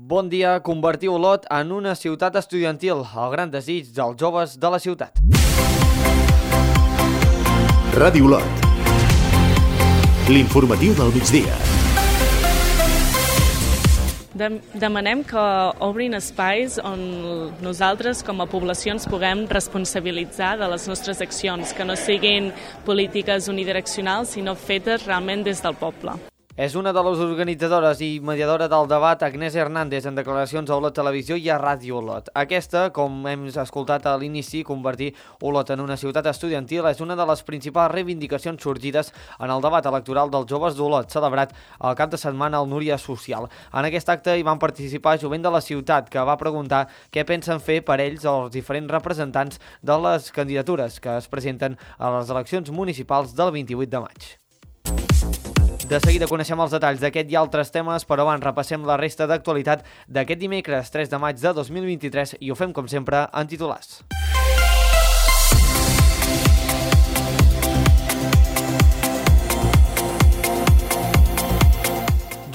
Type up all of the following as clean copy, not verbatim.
Bon dia, convertir Olot en una ciutat estudiantil, el gran desig dels joves de la ciutat. Ràdio Olot. L'informatiu del migdia. Demanem que obrin espais on nosaltres com a població ens puguem responsabilitzar de les nostres accions, que no siguin polítiques unidireccionals, sinó fetes realment des del poble. És una de les organitzadores i mediadora del debat, Agnès Hernández, en declaracions a Olot Televisió i a Ràdio Olot. Aquesta, com hem escoltat a l'inici, convertir Olot en una ciutat estudiantil és una de les principals reivindicacions sorgides en el debat electoral dels joves d'Olot, celebrat el cap de setmana al Núria Social. En aquest acte hi van participar jovent de la ciutat, que va preguntar què pensen fer per ells els diferents representants de les candidatures que es presenten a les eleccions municipals del 28 de maig. De seguida coneixem els detalls d'aquest i altres temes, però abans repassem la resta d'actualitat d'aquest dimecres 3 de maig de 2023 i ho fem, com sempre, en titulars.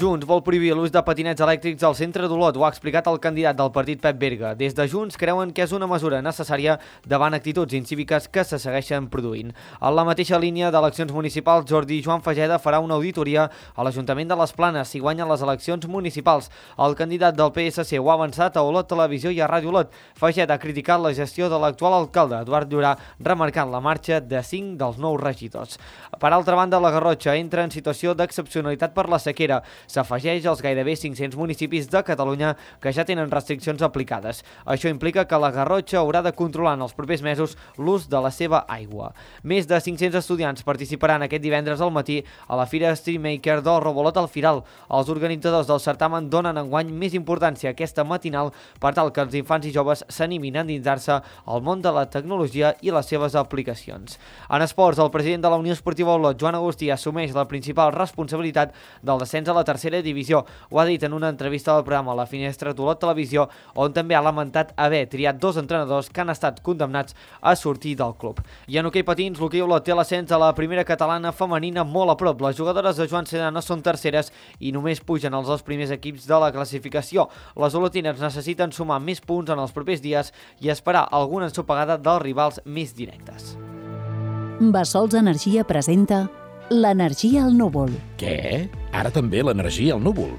Junts vol prohibir l'ús de patinets elèctrics al centre d'Olot, ho ha explicat el candidat del partit Pep Berga. Des de Junts creuen que és una mesura necessària davant actituds incíviques que se segueixen produint. En la mateixa línia d'eleccions municipals, Jordi Joan Fageda farà una auditoria a l'Ajuntament de les Planes si guanyen les eleccions municipals. El candidat del PSC ho ha avançat a Olot Televisió i a Ràdio Olot. Fageda ha criticat la gestió de l'actual alcalde, Eduard Llorà, remarcant la marxa de 5 dels 9 regidors. Per altra banda, la Garrotxa entra en situació d'excepcionalitat per la sequera. S'afegeix als gairebé 500 municipis de Catalunya que ja tenen restriccions aplicades. Això implica que la Garrotxa haurà de controlar en els propers mesos l'ús de la seva aigua. Més de 500 estudiants participaran aquest divendres al matí a la Fira Streetmaker del Rebolot al Firal. Els organitzadors del certamen donen enguany més importància a aquesta matinal per tal que els infants i joves s'animin a endinsar-se al món de la tecnologia i les seves aplicacions. En esports, el president de la Unió Esportiva Olot, Joan Agustí, assumeix la principal responsabilitat del descens a la tercera divisió. Ho ha dit en una entrevista al programa La Finestra d'Olot Televisió, on també ha lamentat haver triat 2 entrenadors que han estat condemnats a sortir del club. I en hoquei patins, l'hoquei Olot té l'ascens a la primera catalana femenina molt a prop. Les jugadores de Joan Sedano són terceres i només pugen els 2 primers equips de la classificació. Les olotines necessiten sumar més punts en els propers dies i esperar alguna ensopegada dels rivals més directes. Bassols Energia presenta l'energia al núvol. Què? Ara també l'energia al núvol?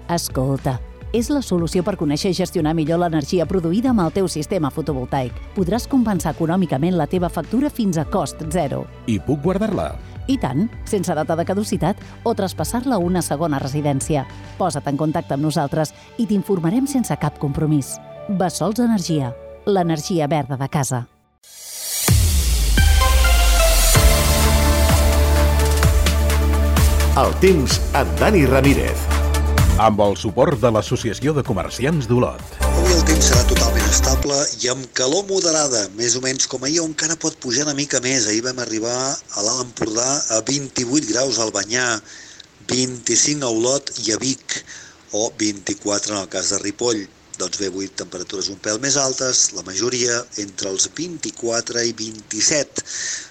Escolta, és la solució per conèixer i gestionar millor l'energia produïda amb el teu sistema fotovoltaic. Podràs compensar econòmicament la teva factura fins a cost zero. I puc guardar-la? I tant, sense data de caducitat o traspassar-la a una segona residència. Posa't en contacte amb nosaltres i t'informarem sense cap compromís. Bassols Energia, l'energia verda de casa. El temps amb Dani Ramírez. Amb el suport de l'Associació de Comerciants d'Olot. Avui el temps serà totalment estable i amb calor moderada, més o menys com ahir, on encara pot pujar una mica més. Ahir vam arribar a l'Alt Empordà a 28 graus al Banyà, 25 a Olot i a Vic, o 24 en el cas de Ripoll. Doncs bé, avui temperatures un pèl més altes, la majoria entre els 24 i 27,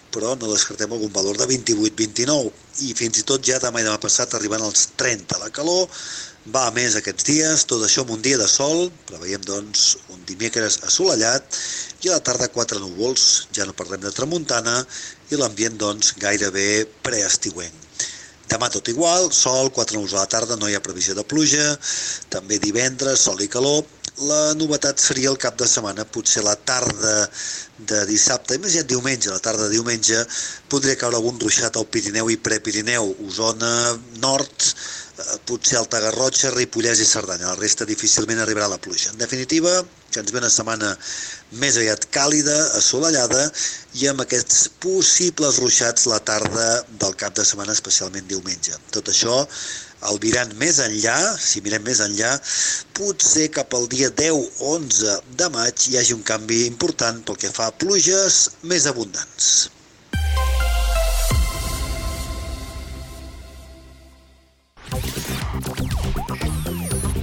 però no descartem algun valor de 28-29 i fins i tot ja demà i demà passat arribant als 30. La calor va a més aquests dies, tot això amb un dia de sol, preveiem doncs un dimecres assolellat i a la tarda 4 núvols, ja no parlem de tramuntana i l'ambient doncs gairebé preestiuenc. Demà tot igual, sol, 4 núvols a la tarda, no hi ha previsió de pluja, també divendres, sol i calor. La novetat seria el cap de setmana, potser la tarda de dissabte, i més ja diumenge, la tarda de diumenge, podria caure algun ruixat al Pirineu i Prepirineu, Osona, Nord, potser Alta Garrotxa, Ripollès i Cerdanya. La resta difícilment arribarà la pluja. En definitiva, que ens ve una setmana més aviat càlida, assolellada, i amb aquests possibles ruixats la tarda del cap de setmana, especialment diumenge. Tot això albirant més enllà, si mirem més enllà, potser cap al dia 10-11 de maig hi hagi un canvi important pel que fa a pluges més abundants.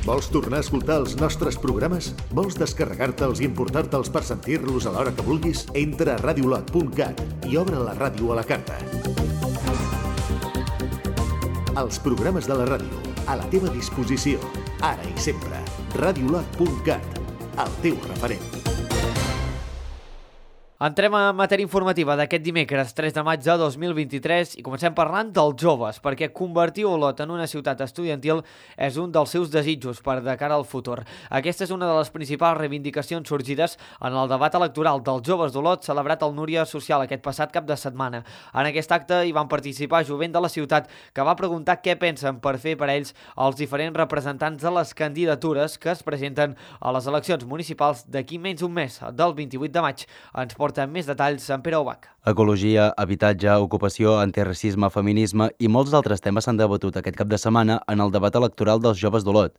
Vols tornar a escoltar els nostres programes? Vols descarregar-te'ls i importar-te'ls per sentir-los a l'hora que vulguis? Entra a radiolot.cat i obre la ràdio a la carta. Els programes de la ràdio, a la teva disposició, ara i sempre. radiolot.cat, el teu referent. Entrem a matèria informativa d'aquest dimecres 3 de maig de 2023 i comencem parlant dels joves, perquè convertir Olot en una ciutat estudiantil és un dels seus desitjos per de cara al futur. Aquesta és una de les principals reivindicacions sorgides en el debat electoral dels joves d'Olot celebrat al Núria Social aquest passat cap de setmana. En aquest acte hi van participar jovent de la ciutat, que va preguntar què pensen per fer per ells els diferents representants de les candidatures que es presenten a les eleccions municipals d'aquí menys d'un mes, del 28 de maig. Ens porta més detalls en Pere Ubach. Ecologia, habitatge, ocupació, antiracisme, feminisme i molts altres temes s'han debatut aquest cap de setmana en el debat electoral dels joves d'Olot.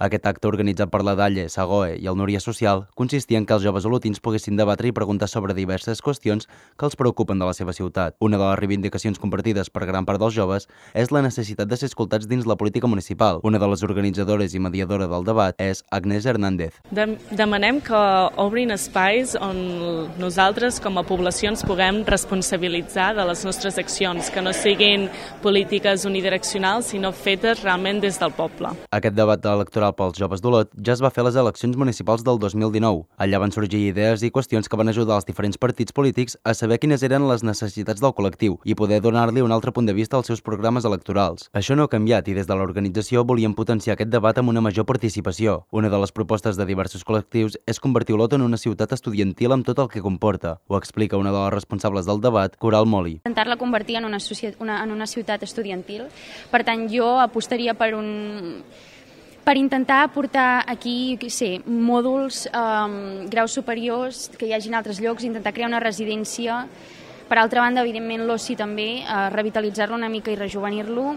Aquest acte, organitzat per la Dalle, Sagoe i el Núria Social, consistia en que els joves olotins poguessin debatre i preguntar sobre diverses qüestions que els preocupen de la seva ciutat. Una de les reivindicacions compartides per gran part dels joves és la necessitat de ser escoltats dins la política municipal. Una de les organitzadores i mediadora del debat és Agnès Hernández. Demanem que obrin espais on nosaltres com a població ens puguem responsabilitzar de les nostres accions, que no siguin polítiques unidireccionals, sinó fetes realment des del poble. Aquest debat electoral pels joves d'Olot ja es va fer a les eleccions municipals del 2019. Allà van sorgir idees i qüestions que van ajudar els diferents partits polítics a saber quines eren les necessitats del col·lectiu i poder donar-li un altre punt de vista als seus programes electorals. Això no ha canviat i des de l'organització volien potenciar aquest debat amb una major participació. Una de les propostes de diversos col·lectius és convertir Olot en una ciutat estudiantil amb tot el que comporta. Ho explica una de les responsables del debat, Coral Moli. Intentar-la convertir en una ciutat estudiantil. Per tant, jo apostaria per intentar portar aquí, mòduls, graus superiors, que hi hagin altres llocs, intentar crear una residència. Per altra banda, evidentment, l'oci també, revitalitzar-lo una mica i rejuvenir-lo.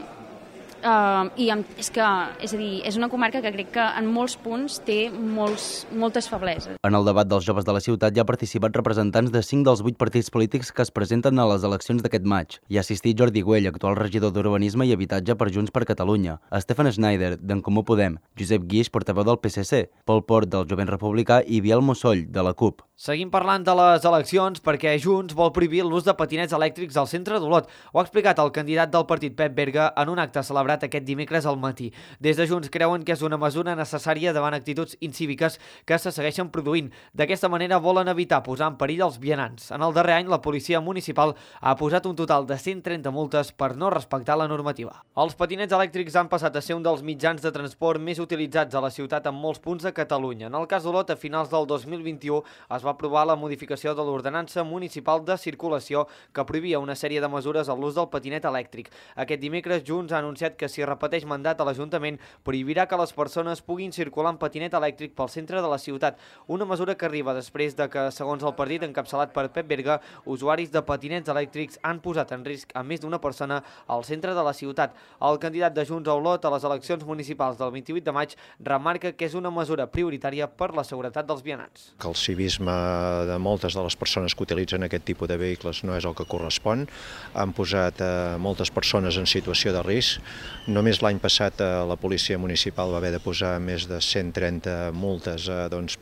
És una comarca que crec que en molts punts té moltes febleses. En el debat dels joves de la ciutat hi ha participat representants de 5 dels 8 partits polítics que es presenten a les eleccions d'aquest maig. Hi ha assistit Jordi Güell, actual regidor d'Urbanisme i Habitatge per Junts per Catalunya, Stefan Schneider, d'en Comú Podem, Josep Guix, portaveu del PSC, Pol Port, del Jovent Republicà i Biel Mosoll, de la CUP. Seguim parlant de les eleccions perquè Junts vol prohibir l'ús de patinets elèctrics al centre d'Olot. Ho ha explicat el candidat del partit Pep Berga en un acte celebrat aquest dimecres al matí. Des de Junts creuen que és una mesura necessària davant actituds incíviques que se segueixen produint. D'aquesta manera volen evitar posar en perill els vianants. En el darrer any, la policia municipal ha posat un total de 130 multes per no respectar la normativa. Els patinets elèctrics han passat a ser un dels mitjans de transport més utilitzats a la ciutat en molts punts de Catalunya. En el cas d'Olot, a finals del 2021 es va aprovar la modificació de l'Ordenança Municipal de Circulació que prohibia una sèrie de mesures a l'ús del patinet elèctric. Aquest dimecres, Junts ha anunciat que si repeteix mandat a l'Ajuntament, prohibirà que les persones puguin circular en patinet elèctric pel centre de la ciutat. Una mesura que arriba després de que, segons el partit encapçalat per Pep Berga, usuaris de patinets elèctrics han posat en risc a més d'una persona al centre de la ciutat. El candidat de Junts a Olot a les eleccions municipals del 28 de maig remarca que és una mesura prioritària per la seguretat dels vianants. Que el civisme de moltes de les persones que utilitzen aquest tipus de vehicles no és el que correspon. Han posat moltes persones en situació de risc. Només l'any passat la policia municipal va haver de posar més de 130 multes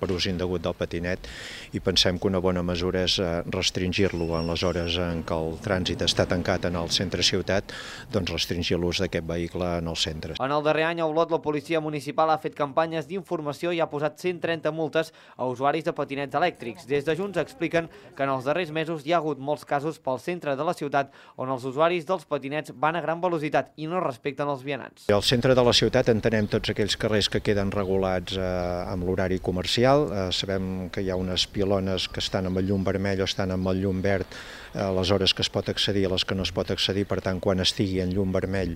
per ús indegut del patinet i pensem que una bona mesura és restringir-lo en les hores en què el trànsit està tancat en el centre ciutat, doncs restringir l'ús d'aquest vehicle en els centres. En el darrer any a Olot la policia municipal ha fet campanyes d'informació i ha posat 130 multes a usuaris de patinets elèctrics. Des de Junts expliquen que en els darrers mesos hi ha hagut molts casos pel centre de la ciutat on els usuaris dels patinets van a gran velocitat i no respecten els vianants. Al centre de la ciutat entenem tots aquells carrers que queden regulats amb l'horari comercial. Sabem que hi ha unes pilones que estan amb el llum vermell o estan amb el llum verd a les hores que es pot accedir i a les que no es pot accedir. Per tant, quan estigui en llum vermell,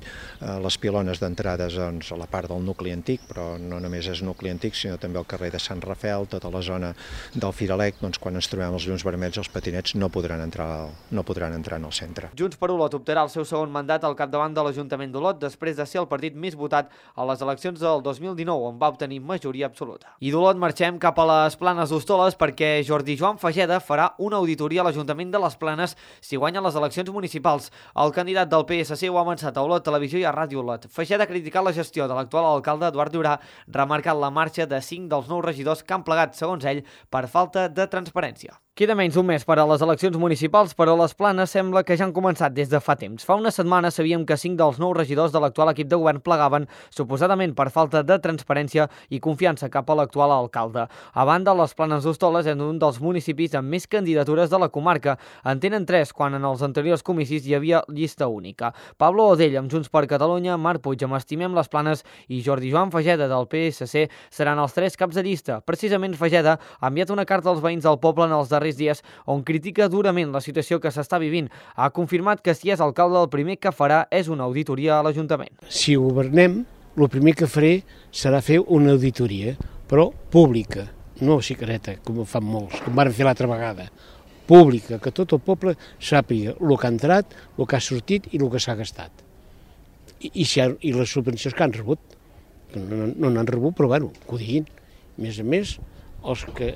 les pilones d'entrades a la part del nucli antic, però no només és nucli antic, sinó també el carrer de Sant Rafel, tota la zona del Firalec, doncs quan ens trobem els llums vermells, els patinets no podran entrar en el centre. Junts per Olot optarà el seu segon mandat al capdavant de l'Ajuntament d'Olot després de ser el partit més votat a les eleccions del 2019, on va obtenir majoria absoluta. I d'Olot marxem cap a les Planes d'Hostoles perquè Jordi Joan Fageda farà una auditoria a l'Ajuntament de les Planes si guanya les eleccions municipals. El candidat del PSC ho ha avançat a Olot Televisió i a Ràdio Olot. Fageda ha criticat la gestió de l'actual alcalde Eduard Durà, remarcant la marxa de 5 dels 9 regidors que han plegat, segons ell, per falta de transparència. Queda menys d'un mes per a les eleccions municipals, però les Planes sembla que ja han començat des de fa temps. Fa una setmana sabíem que 5 dels 9 regidors de l'actual equip de govern plegaven, suposadament per falta de transparència i confiança cap a l'actual alcalde. A banda, les Planes d'Hostoles és un dels municipis amb més candidatures de la comarca. En tenen 3, quan en els anteriors comicis hi havia llista única. Pablo Odell, amb Junts per Catalunya, Marc Puig, amb Estimem les Planes i Jordi Joan Fageda, del PSC, seran els 3 caps de llista. Precisament Fageda ha enviat una carta als veïns del poble en els darrers dies on critica durament la situació que s'està vivint. Ha confirmat que si és alcalde el primer que farà és una auditoria a l'Ajuntament. Si governem, el primer que faré serà fer una auditoria, però pública, no secreta, com fan molts, com van fer l'altra vegada. Pública, que tot el poble sàpiga el que ha entrat, el que ha sortit i el que s'ha gastat. I les subvencions que han rebut. No n'han rebut, però bueno, que ho diguin. A més, els que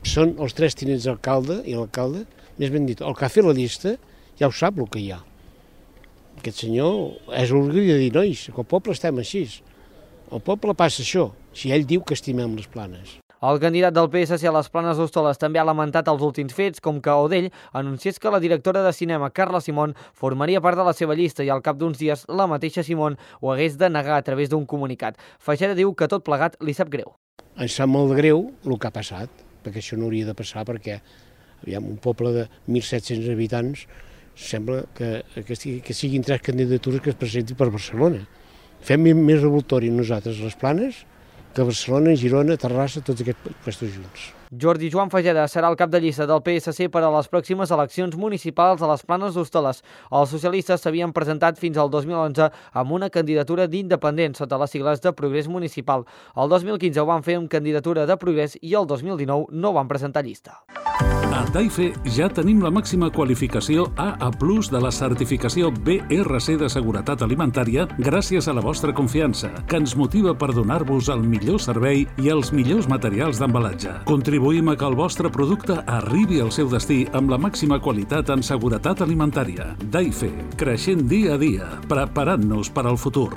són els 3 tinents d'alcalde i l'alcalde, més ben dit, el que ha fet la llista ja ho sap el que hi ha. Aquest senyor és orgull de dir, nois, que el poble estem així. El poble passa això, si ell diu que estimem les Planes. El candidat del PSC a les Planes d'Hostoles també ha lamentat els últims fets, com que Odell anunciés que la directora de cinema, Carla Simón, formaria part de la seva llista i al cap d'uns dies la mateixa Simón ho hagués de negar a través d'un comunicat. Fageda diu que tot plegat li sap greu. Em sap molt de greu el que ha passat, perquè això no hauria de passar, perquè un poble de 1.700 habitants sembla que siguin 3 candidatures que es presentin per Barcelona. Fem més revoltori nosaltres les Planes que Barcelona, Girona, Terrassa, tots aquests puestos junts. Jordi Joan Fageda serà el cap de llista del PSC per a les pròximes eleccions municipals a les Planes d'Hostoles. Els socialistes s'havien presentat fins al 2011 amb una candidatura d'independent sota les sigles de Progrés Municipal. El 2015 ho van fer amb candidatura de Progrés i el 2019 no van presentar llista. A Daife ja tenim la màxima qualificació AA+ de la certificació BRC de seguretat alimentària gràcies a la vostra confiança, que ens motiva per donar-vos el millor servei i els millors materials d'embalatge. Contribuïm a que el vostre producte arribi al seu destí amb la màxima qualitat en seguretat alimentària. Daife, creixent dia a dia, preparant-nos per al futur.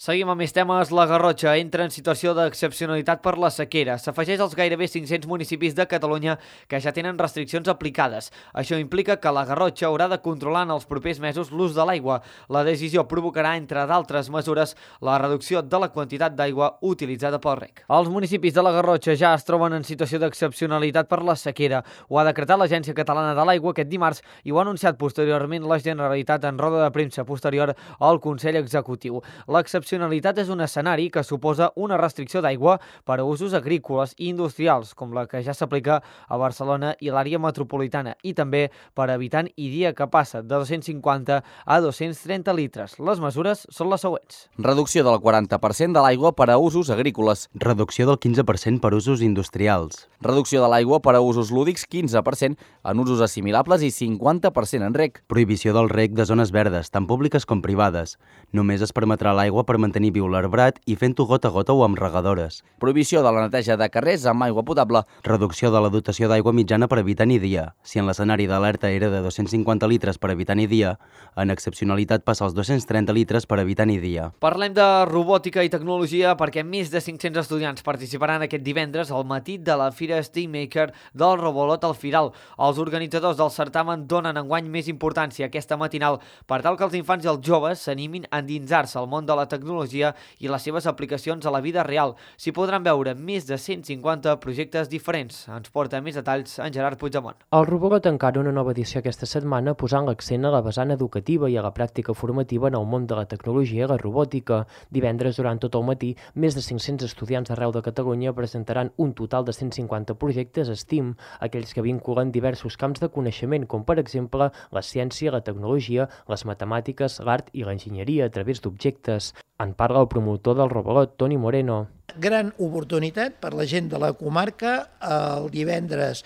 Seguim amb més temes. La Garrotxa entra en situació d'excepcionalitat per la sequera. S'afegeix als gairebé 500 municipis de Catalunya que ja tenen restriccions aplicades. Això implica que la Garrotxa haurà de controlar en els propers mesos l'ús de l'aigua. La decisió provocarà, entre d'altres mesures, la reducció de la quantitat d'aigua utilitzada pel reg. Els municipis de la Garrotxa ja es troben en situació d'excepcionalitat per la sequera. Ho ha decretat l'Agència Catalana de l'Aigua aquest dimarts i ho ha anunciat posteriorment la Generalitat en roda de premsa posterior al Consell Executiu. L'excepcionalitat és un escenari que suposa una restricció d'aigua per a usos agrícoles i industrials, com la que ja s'aplica a Barcelona i l'àrea metropolitana, i també per habitant i dia, que passa de 250 a 230 litres. Les mesures són les següents. Reducció del 40% de l'aigua per a usos agrícoles. Reducció del 15% per usos industrials. Reducció de l'aigua per a usos lúdics, 15% en usos assimilables i 50% en reg. Prohibició del reg de zones verdes, tant públiques com privades. Només es permetrà l'aigua per mantenir viu l'arbrat i fent-ho gota a gota o amb regadores. Prohibició de la neteja de carrers amb aigua potable. Reducció de la dotació d'aigua mitjana per habitant i dia. Si en l'escenari d'alerta era de 250 litres per habitant i dia, en excepcionalitat passa als 230 litres per habitant i dia. Parlem de robòtica i tecnologia perquè més de 500 estudiants participaran aquest divendres al matí de la Fira SteamMaker del Robolot al Firal. Els organitzadors del certamen donen enguany més importància a aquesta matinal per tal que els infants i els joves s'animin a endinsar-se al món de la tecnologia i les seves aplicacions a la vida real. S'hi podran veure més de 150 projectes diferents. Ens porta més detalls en Gerard Puigdemont. El Robolot encara una nova edició aquesta setmana posant l'accent a la vessant educativa i a la pràctica formativa en el món de la tecnologia i la robòtica. Divendres, durant tot el matí, més de 500 estudiants d'arreu de Catalunya presentaran un total de 150 projectes STEAM, aquells que vinculen diversos camps de coneixement, com per exemple la ciència, la tecnologia, les matemàtiques, l'art i l'enginyeria a través d'objectes. En parla el promotor del Robolot, Toni Moreno. Gran oportunitat per la gent de la comarca el divendres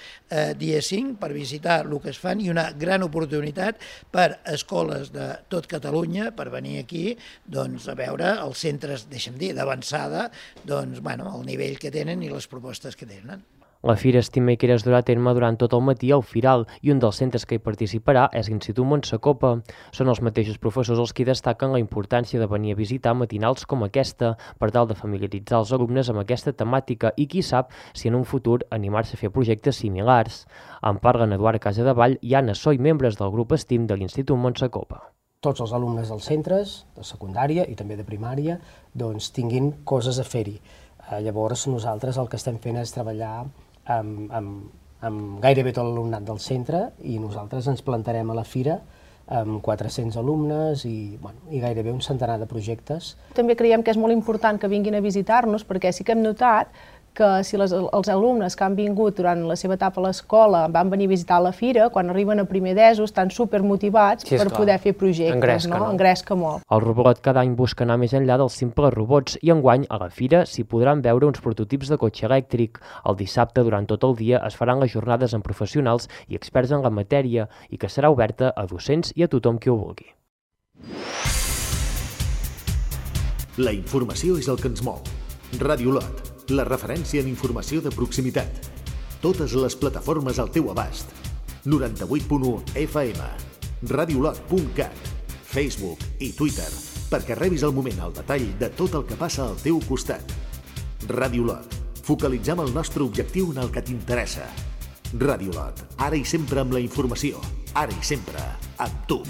dia 5 per visitar el que es fan i una gran oportunitat per escoles de tot Catalunya per venir aquí a veure els centres, deixa'm dir, d'avançada, el nivell que tenen i les propostes que tenen. La fira estima que es durà a terme durant tot el matí al Firal i un dels centres que hi participarà és l'Institut Montsacopa. Són els mateixos professors els qui destaquen la importància de venir a visitar matinals com aquesta per tal de familiaritzar els alumnes amb aquesta temàtica i qui sap si en un futur animar-se a fer projectes similars. En parlen Eduard Casadevall i Anna Soy, membres del grup ESTIM de l'Institut Montsacopa. Tots els alumnes dels centres, de secundària i també de primària, doncs tinguin coses a fer-hi. Llavors nosaltres el que estem fent és treballar amb gairebé tot l'alumnat del centre i nosaltres ens plantarem a la fira amb 400 alumnes i gairebé un centenar de projectes. També creiem que és molt important que vinguin a visitar-nos perquè sí que hem notat que si els alumnes que han vingut durant la seva etapa a l'escola van venir a visitar la fira, quan arriben a primer d'ESO estan supermotivats per poder fer projectes, engresca molt. El Robot cada any busca anar més enllà dels simples robots i enguany a la fira s'hi podran veure uns prototips de cotxe elèctric. El dissabte, durant tot el dia, es faran les jornades amb professionals i experts en la matèria i que serà oberta a docents i a tothom qui ho vulgui. La informació és el que ens mou. Ràdio Lot, la referència en informació de proximitat. Totes les plataformes al teu abast. 98.1 FM, radiolot.cat, Facebook i Twitter, perquè rebis al moment el detall de tot el que passa al teu costat. Ràdio Lot, focalitzem el nostre objectiu en el que t'interessa. Ràdio Lot, ara i sempre amb la informació, ara i sempre amb tu.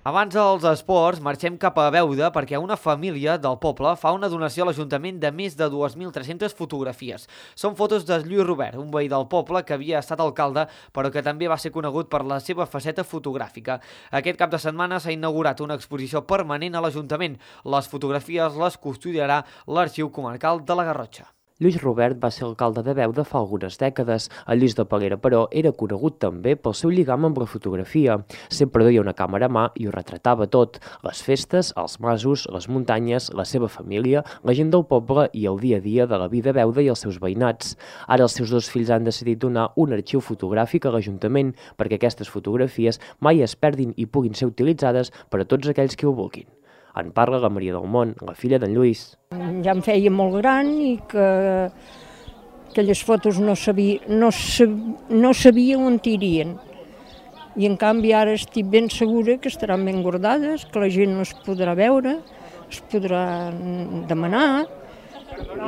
Abans dels esports, marxem cap a Beuda perquè una família del poble fa una donació a l'Ajuntament de més de 2.300 fotografies. Són fotos de Lluís Robert, un veí del poble que havia estat alcalde, però que també va ser conegut per la seva faceta fotogràfica. Aquest cap de setmana s'ha inaugurat una exposició permanent a l'Ajuntament. Les fotografies les custodiarà l'Arxiu Comarcal de la Garrotxa. Lluís Robert va ser alcalde de Beuda fa algunes dècades. El Lluís de Peguera, però, era conegut també pel seu lligam amb la fotografia. Sempre duia una càmera a mà i ho retratava tot. Les festes, els masos, les muntanyes, la seva família, la gent del poble i el dia a dia de la vida a Beuda i els seus veïnats. Ara els seus dos fills han decidit donar un arxiu fotogràfic a l'Ajuntament perquè aquestes fotografies mai es perdin i puguin ser utilitzades per a tots aquells que ho vulguin. En parla la Maria del Mont, la filla d'en Lluís. Ja em feia molt gran i que aquelles fotos no sabia on irien. I en canvi ara estic ben segura que estaran ben guardades, que la gent no es podrà veure, es podrà demanar,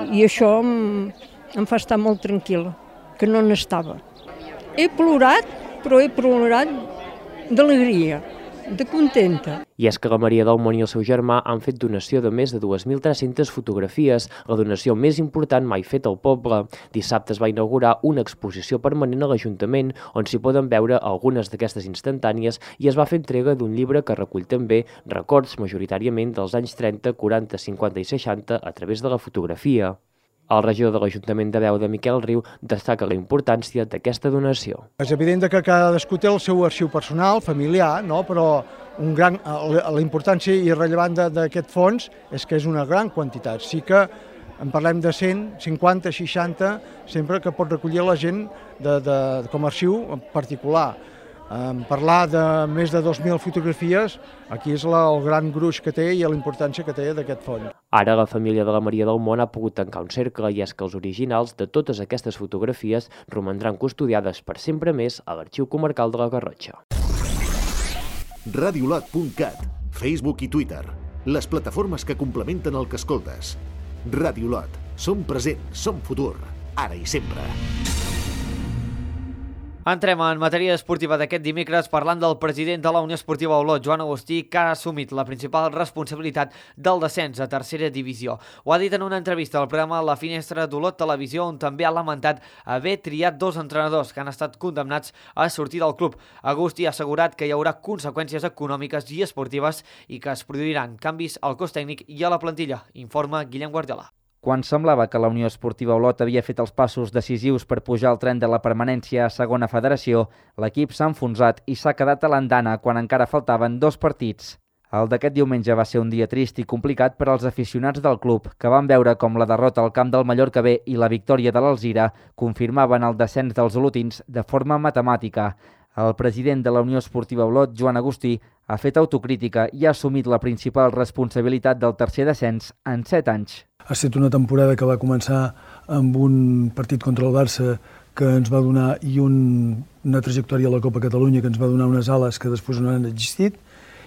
i això em fa estar molt tranquil·la, que no n'estava. He plorat, però he plorat d'alegria, de contenta. I és que la Maria del Mont i el seu germà han fet donació de més de 2.300 fotografies, la donació més important mai feta al poble. Dissabte es va inaugurar una exposició permanent a l'Ajuntament on s'hi poden veure algunes d'aquestes instantànies i es va fer entrega d'un llibre que recull també records majoritàriament dels anys 30, 40, 50 i 60 a través de la fotografia. El regidor de l'Ajuntament de Beuda, Miquel Riu, destaca la importància d'aquesta donació. És evident que cadascú té el seu arxiu personal, familiar, no? Però la importància i rellevant d'aquest fons és que és una gran quantitat. Sí que en parlem de 100, 50, 60, sempre que pot recollir la gent com a arxiu particular. Parlar de més de 2.000 fotografies, aquí és el gran gruix que té i la importància que té d'aquest fons. Ara la família de la Maria del Mont ha pogut tancar un cercle i és que els originals de totes aquestes fotografies romandran custodiades per sempre més a l'Arxiu Comarcal de la Garrotxa. Radiolot.cat, Facebook i Twitter, les plataformes que complementen el que escoltes. Radiolot, som present, som futur, ara i sempre. Entrem en matèria esportiva d'aquest dimecres parlant del president de la Unió Esportiva Olot, Joan Agustí, que ha assumit la principal responsabilitat del descens a tercera divisió. Ho ha dit en una entrevista al programa La Finestra d'Olot Televisió, on també ha lamentat haver triat dos entrenadors que han estat condemnats a sortir del club. Agustí ha assegurat que hi haurà conseqüències econòmiques i esportives i que es produiran canvis al cos tècnic i a la plantilla, informa Guillem Guardiola. Quan semblava que la Unió Esportiva Olot havia fet els passos decisius per pujar al tren de la permanència a segona federació, l'equip s'ha enfonsat i s'ha quedat a l'andana quan encara faltaven 2 partits. El d'aquest diumenge va ser un dia trist i complicat per als aficionats del club, que van veure com la derrota al camp del Mallorca B i la victòria de l'Alzira confirmaven el descens dels olotins de forma matemàtica. El president de la Unió Esportiva Olot, Joan Agustí, ha fet autocrítica i ha assumit la principal responsabilitat del tercer descens en 7 anys. Ha estat una temporada que va començar amb un partit contra el Barça que ens va donar i una trajectòria a la Copa Catalunya que ens va donar unes ales que després no han existit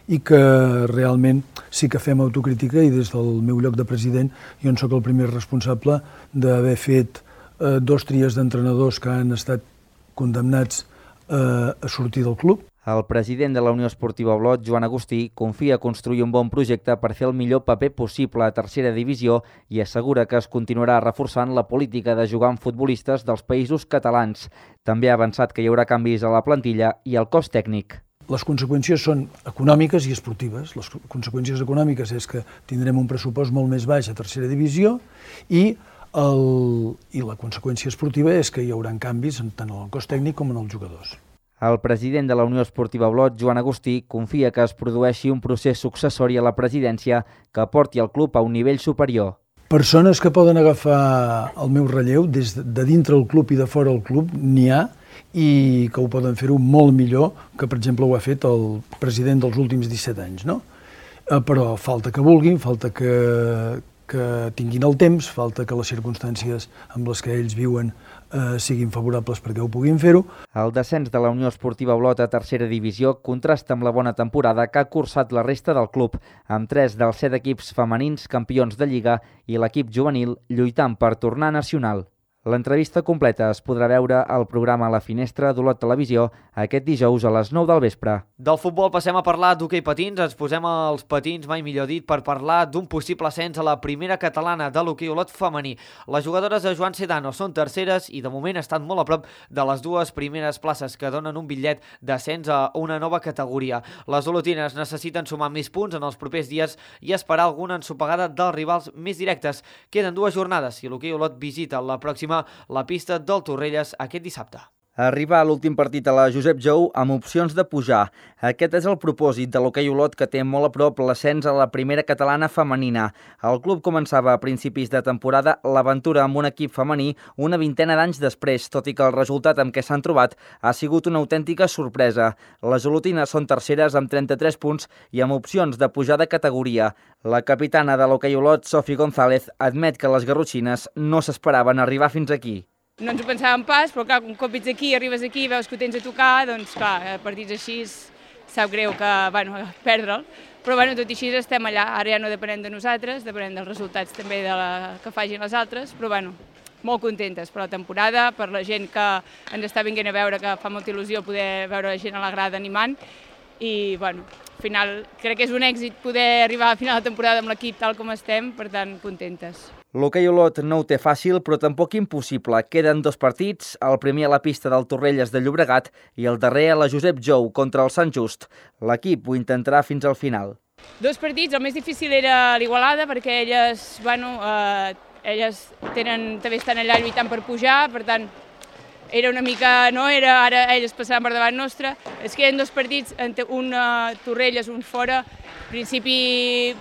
i que realment sí que fem autocrítica i des del meu lloc de president jo en soc el primer responsable d'haver fet 2 tries d'entrenadors que han estat condemnats a sortir del club. El president de la Unió Esportiva Olot, Joan Agustí, confia construir un bon projecte per fer el millor paper possible a tercera divisió i assegura que es continuarà reforçant la política de jugar amb futbolistes dels països catalans. També ha avançat que hi haurà canvis a la plantilla i al cos tècnic. Les conseqüències són econòmiques i esportives. Les conseqüències econòmiques és que tindrem un pressupost molt més baix a tercera divisió i la conseqüència esportiva és que hi haurà canvis tant en el cos tècnic com en els jugadors. El president de la Unió Esportiva Olot, Joan Agustí, confia que es produeixi un procés successori a la presidència que porti el club a un nivell superior. Persones que poden agafar el meu relleu des de dintre el club i de fora el club n'hi ha i que ho poden fer-ho molt millor que, per exemple, ho ha fet el president dels últims 17 anys, no? Però falta que vulguin, falta que tinguin el temps, falta que les circumstàncies amb les que ells viuen siguin favorables perquè ho puguin fer-ho. El descens de la Unió Esportiva Olot a tercera divisió contrasta amb la bona temporada que ha cursat la resta del club, amb 3 dels 7 equips femenins campions de Lliga i l'equip juvenil lluitant per tornar nacional. L'entrevista completa es podrà veure al programa La Finestra d'Olot Televisió aquest dijous a les 9 del vespre. Del futbol passem a parlar d'hoquei patins. Ens posem als patins, mai millor dit, per parlar d'un possible ascens a la primera catalana de l'hoquei Olot femení. Les jugadores de Joan Sedano són terceres i de moment estan molt a prop de les 2 primeres places que donen un bitllet d'ascens a una nova categoria. Les olotines necessiten sumar més punts en els propers dies i esperar alguna ensopegada dels rivals més directes. Queden 2 jornades i l'hoquei Olot visita la pròxima la pista del Torrelles aquest dissabte. Arribar a l'últim partit a la Josep Jou amb opcions de pujar. Aquest és el propòsit de l'hoquei Olot que té molt a prop l'ascens a la primera catalana femenina. El club començava a principis de temporada l'aventura amb un equip femení una vintena d'anys després, tot i que el resultat amb què s'han trobat ha sigut una autèntica sorpresa. Les olotines són terceres amb 33 punts i amb opcions de pujar de categoria. La capitana de l'hoquei Olot, Sofi González, admet que les garrotxines no s'esperaven arribar fins aquí. No ens ho pensàvem pas, però clar, un cop ets aquí, arribes aquí, veus que ho tens a tocar, doncs clar, partits així sap greu que, perdre'l. Però tot i així estem allà, ara ja no depenem de nosaltres, depenem dels resultats també que facin les altres, però molt contentes per la temporada, per la gent que ens està venint a veure, que fa molta il·lusió poder veure la gent a la grada animant i al final crec que és un èxit poder arribar a final de temporada amb l'equip tal com estem, per tant, contentes. L'hoquei Olot no ho té fàcil, però tampoc impossible. Queden 2 partits, el primer a la pista del Torrelles de Llobregat i el darrer a la Josep Jou contra el Sant Just. L'equip ho intentarà fins al final. 2 partits, el més difícil era l'Igualada, perquè elles, elles també estan allà lluitant per pujar, per tant, era una mica, ara elles passaran per davant nostre. Es queden 2 partits, un a Torrelles, un fora. En principi,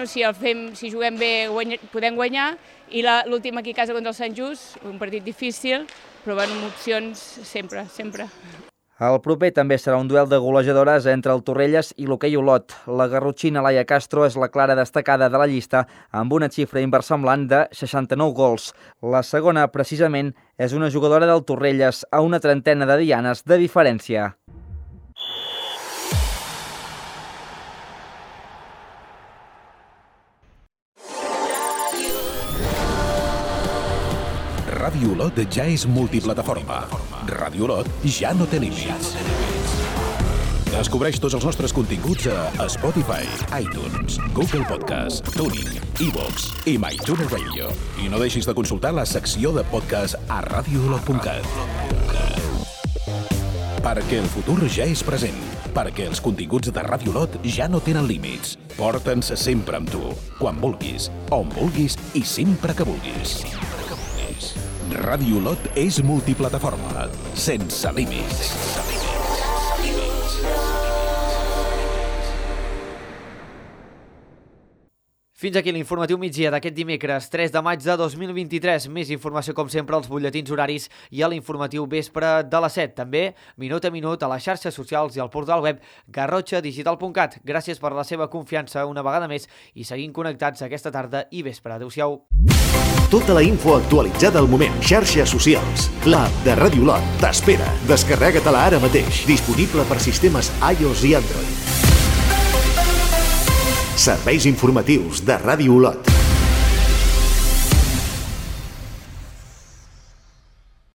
si juguem bé podem guanyar, i l'últim aquí a casa contra el Sant Just, un partit difícil, però amb opcions sempre. El proper també serà un duel de golejadores entre el Torrelles i l'hoquei Olot. La garrotxina Laia Castro és la clara destacada de la llista amb una xifra inversemblant de 69 gols. La segona, precisament, és una jugadora del Torrelles a una trentena de dianes de diferència. Ràdio Olot ja és multiplataforma. Ràdio Olot ja no té límits. Descobreix tots els nostres continguts a Spotify, iTunes, Google Podcast, TuneIn, iVoox i MyTuner Radio. I no deixis de consultar la secció de podcast a radioolot.cat. Perquè el futur ja és present. Perquè els continguts de Ràdio Olot ja no tenen límits. Porta'ns sempre amb tu, quan vulguis, on vulguis i sempre que vulguis. Ràdio Olot és multiplataforma, sense límits. Fins aquí l'informatiu migdia d'aquest dimecres 3 de maig de 2023. Més informació, com sempre, als butlletins horaris i a l'informatiu vespre de les 7. També, minut a minut, a les xarxes socials i al portal web garrotxadigital.cat. Gràcies per la seva confiança una vegada més i seguim connectats aquesta tarda i vespre. Adéu-siau. Tota la info actualitzada al moment. Xarxes socials. L'app de Ràdio Lot t'espera. Descarrega-te-la ara mateix. Disponible per sistemes iOS i Android. Serveis informatius de Ràdio Olot.